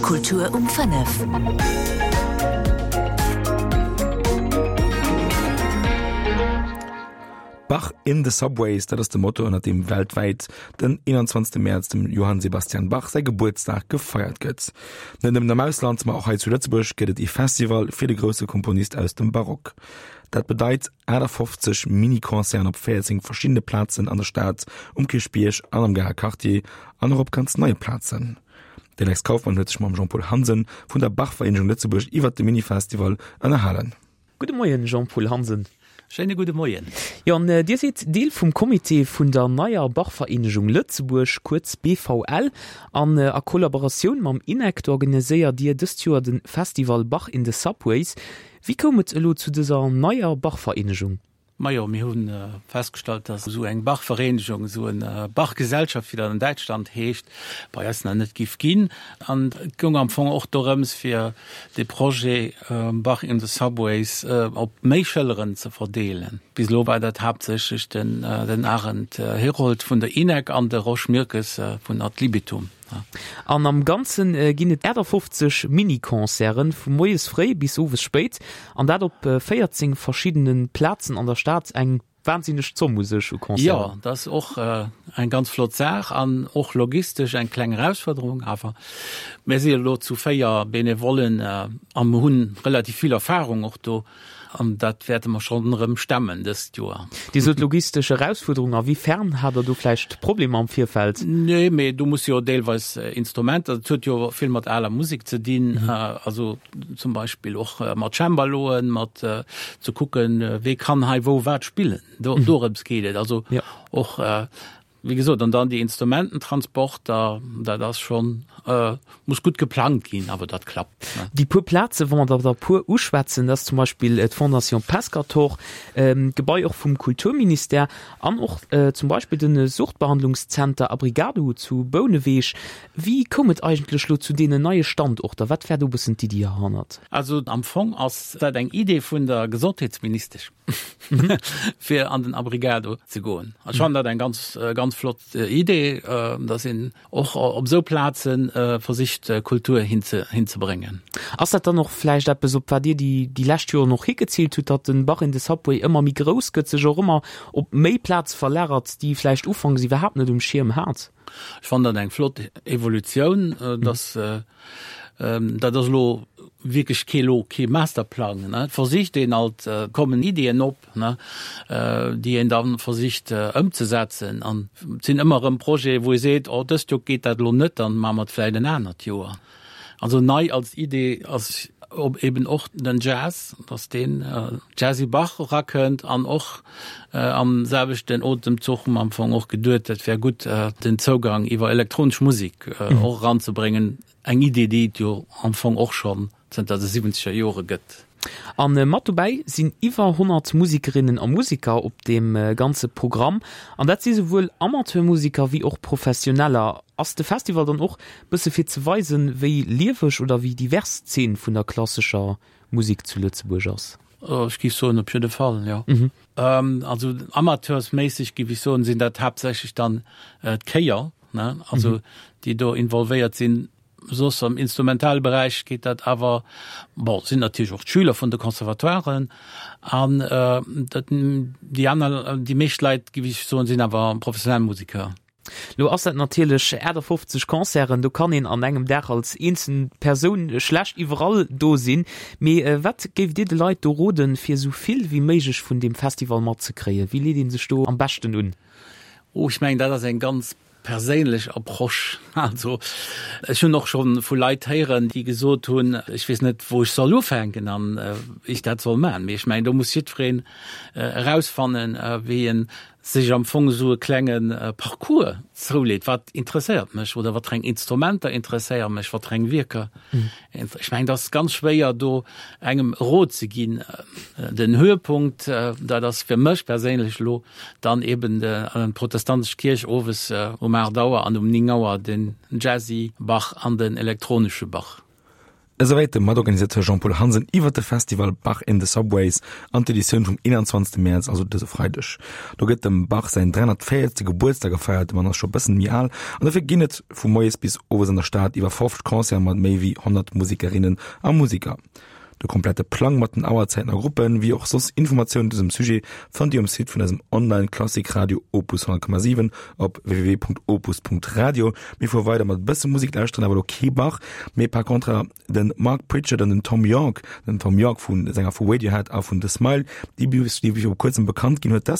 Kultur um 5. Bach in the Subways, dat ass de Motto, ënner deem weltwäit den 21. Mäerz, dem Johann Sebastian Bach säi Gebuertsdag, gefeiert gëtt. Net nëmmen am Ausland, ma och hei zu Lëtzebuerg gëtt et ee Festival fir de grousse Komponist aus dem Barock. Dat bedeit 58 Mini-Concerten op 14 verschiddene Plazen an der Stad, um Kierchbierg an am Garer Quartier an och op ganz neie Plazen. De Lex Kauffmann huet sech mam Jean-Paul Hansen vun der Bach-Vereenegung Lëtzebuerg iwwert de Mini-Festival ënnerhalen. Gudde Moien, Jean-Paul Hansen. Schéine gudde Moien. Jo, an Dir sidd Deel vum Comité vun der neier Bachvereenegung Lëtzebuerg, kuerz BVL. An a Kollaboratioun mam INEC organiséiert Dir dëst Joer de Festival Bach in the Subways. Wéi koum et elo zu dëser neier Bachvereenegung? Majo, mir hu festgestallt, dass esou eng Bachvereenegung, esou en Bachgesellschaft, wéi dat an Däitschland heescht, bei eis nach net giff ginn. An et goung am Fong och dorëms, fir de Projet Bach in the Subways op méi Schëlleren ze verdeelen. Bis elo war dat haaptsächlech den Arend Herold vun der INEC an de Rosch Mirkes vun Ad Libitum. An am Ganze ginn et 58 Mini-Concerten, vu moies fréi bis owes spéit, an dat op 14 verschiddene Plazen an der Stad. Eng wahnsinneg Zomm u sech u Concerten. Jo, dat ass och eng ganz flott Saach an och logistesch eng kleng Erausfuerderung. Awer mir si elo zu 4 Benevollen a mir hunn relativ vill Erfarung och do. An dat wäerte mer schonn erëm stemmen dëst Joer. Dir sot logistesch Erausfuerderung. A wéi fern hat Der do vläicht Problemer am Virfeld? Nee, mee do musse jo deelweis Instrumenter, dat huet jo vill mat aler Musek ze dinn, also zum Beispill och mat Cembaloen, mat ze kucken, wee kann hei wou wat spillen. Dorëms geet et. Also och Wéi gesot, an dann déi Instrumententransporter, dat ass schonn, muss gutt geplangt ginn, awer dat klappt. Déi puer Plazen, wa mer der der puer uschwätzen, dat ass zum Beispill d'Fondation Pescator, d'Gebai och vum Kulturministère an och zum Beispill de Suchtbehandlungszenter Abrigado zu Bouneweg. Wéi koum et eigentlech elo zu deenen neie Standorter? Wat war do e bëssen d'Iddi derhannert? Also am Fong ass dat eng Idee vun der Gesondheetsministesch. fir an den Abrigado ze goen. Ech fannen dat eng ganz ganz flott Idee, dass een och op esou Plaze versicht Kultur hinzebréngen. Ass dat dann och vläicht eppes, op wat Dir déi déi lescht Joren och higeziilt hutt, datt den Bach in the Subway ëmmer méi grouss gëtt, sech och ëmmer op méi Plaze verlagert, déi ee vläicht ufanks iwwerhaapt net um Schierm hat? Ech fannen dat eng flott Evolutioun, dass dat ass elo wierklech kee elo kee Masterplang, ne. Et versicht een alt, et kommen Iddien op, ne, déi een da versicht ëmzesetzen. An et sinn ëmmer erëm Projete wou ee seet, oh dëst Joer geet dat elo net, dann maache mer et vläicht en anert Joer. Also nei als Idee ass eben och den Jazz, dass deen Jazzy Bach erakënnt an och am selwechten Otemzuch hu mer am Fong och geduet, dat wär gutt den Zougang iwwer elektronesch Musek och eranzebréngen, eng Idee déi et jo am Fong och schonn zënter de siwwenzeger Jore gëtt. A mat dobäi sinn iwwer 100 Musikerinnen a Musiker op deem ganze Programm. An dat si souwuel Amateurmusiker wéi och Professioneller. Ass de Festival dann och bësse fir ze weisen, wéi lieweg oder wéi divers d'Zeen vun der klassescher Musek zu Lëtzebuerg ass? Ech géif soen, op jidde Fall, jo. Also amateursméisseg géif ech soen, sinn dat haaptsächlech dann d'Chéier, ne, also déi do involvéiert sinn. Soss am instrumentale Beräich geet dat awer, bon, sinn natierlech och d'Schüler vun de Conservatoiren an dat, déi aner, déi meescht Leit, géif ech soen, sinn awer professionell Museker. Lo ass dat natierlech 58 Concerten, do kann een an engem Dag als eenzel Persoun schlecht iwwerall do sinn. Mee wat géift Dir de Leit do roden, fir esou vill wéi méiglech vun deem Festival matzekréien? Wéi leet ee sech do am beschten un? Oh, ech mengen, dat ass eng ganz perséinlech Approche. Also ech hunn och scho vu Leit héieren, déi gesot hunn, ech weess net, wou ech soll ufänken an wéi ech dat soll maachen. Mee ech mengen, do muss jiddwereen erausfannen, wéi en sech am Fong esou e klenge Parcours zouleet, wat interesséiert mech oder wat fir eng Instrumenter interesséiere mech, wat fir eng Wierker. Ech mengen, et ass ganz schwéier do engem e Rot ze ginn. Den Höhepunkt, dat ass fir mech perséinlech elo dann eben d'protestantesch Kierch owes um 8 Auer an um 9 Auer den Jazzy Bach an den elektronesche Bach. Esouwäit de Matorganisateur Jean-Paul Hansen iwwert de Festival Bach in the Subways an d'Editioun vum 21. Mäerz, also dëse Freideg. Do gëtt dem Bach säin 340. Gebuertsdag gefeiert, de Mann ass scho bëssen méi al, an dofir ginn et vu moies bis owes an der Stad iwwer 50 Concerte mat méi wéi 100 Musekerinnen a Museker. De komplette Plang mat den Auerzäiten a Gruppen, wéi och soss Informatiounen zu dësem Sujet fannt Dir um Site vun eisem Online-Klassik-Radio Opus 100,7 op www.opus.radio. Mir fuere weider mat e bësse Musek, lauschteren awer elo kee Bach, mee par contre de Mark Pritchard an den Thom Yorke, den Thom Yorke vu Sänger vu Radiohead a vun The Smile, déi déi viru kuerzem bekannt ginn huet, dass.